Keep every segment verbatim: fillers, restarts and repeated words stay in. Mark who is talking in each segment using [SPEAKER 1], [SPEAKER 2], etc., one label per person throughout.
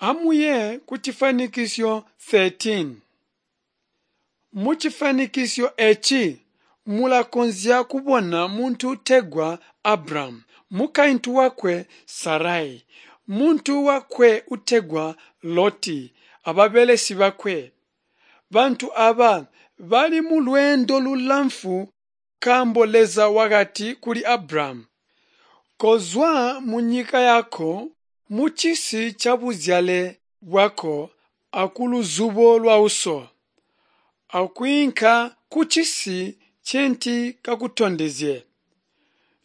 [SPEAKER 1] Amuye kucifanikisyo thirteen. Muchifanikisyo eeci mulakonzya kubona muntu utegwa Abramu, mukaintu wakwe Sarai, muntu wakwe utegwa Loti ababelesi bakwe. Bantu aaba bali mulweendo lulamfu nkaambo Leza wakati kuli Abramu, "Kozwa munyika yako, mucisi cabuzyale bwako akuluzubo lwauso, akwiinka kucisi ncenti kakutondezye.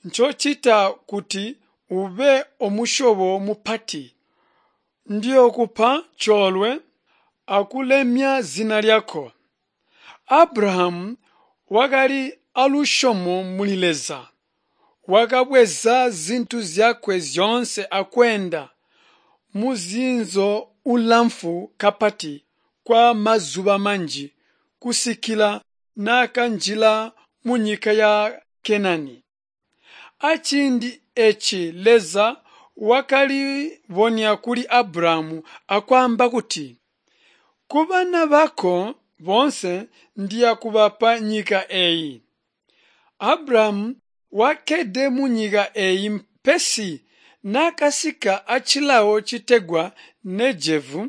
[SPEAKER 1] Njoocita kuti ube omusyobo mupati. Ndiyookupa coolwe akulemya zina lyako." Abrahamu wakali alusyomo muli Leza. Wakabweza zintu zyakwe zyoonse akweenda musinzo ulamfu kapati kwa mazuba manji kusikila naakanjila munyika ya Kenani. Aciindi eeci Leza wakalibonya kuli Abrahamu akwaamba kuti, "Kubana bako boonse ndiyakubapa nyika eeyi." Abrahamu wakkede munyika eeyi pesi naakasika acilawo citegwa Negevu,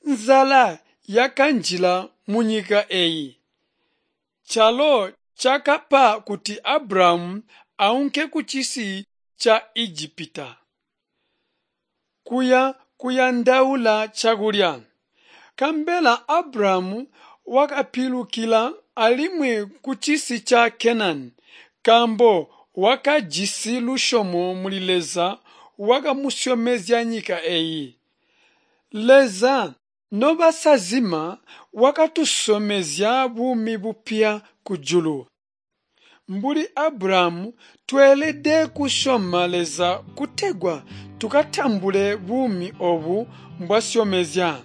[SPEAKER 1] nzala yakanjila munyika eeyi, calo cakapa kuti Abrahamu aunke kucisi ca Ijipita kuya kuyandaula cakulya. Nkabela Abrahamu wakapilukila alimwi kucisi ca Kenani, nkaambo wakajisi lusyomo muli Leza wakamusyomezya nyika eeyi. Leza nobasazima wakatusyomezya buumi bupya kujulu. Mbuli Abrahamu tweelede kusyoma Leza kutegwa tukatambule buumi oobu mbwasyomezya.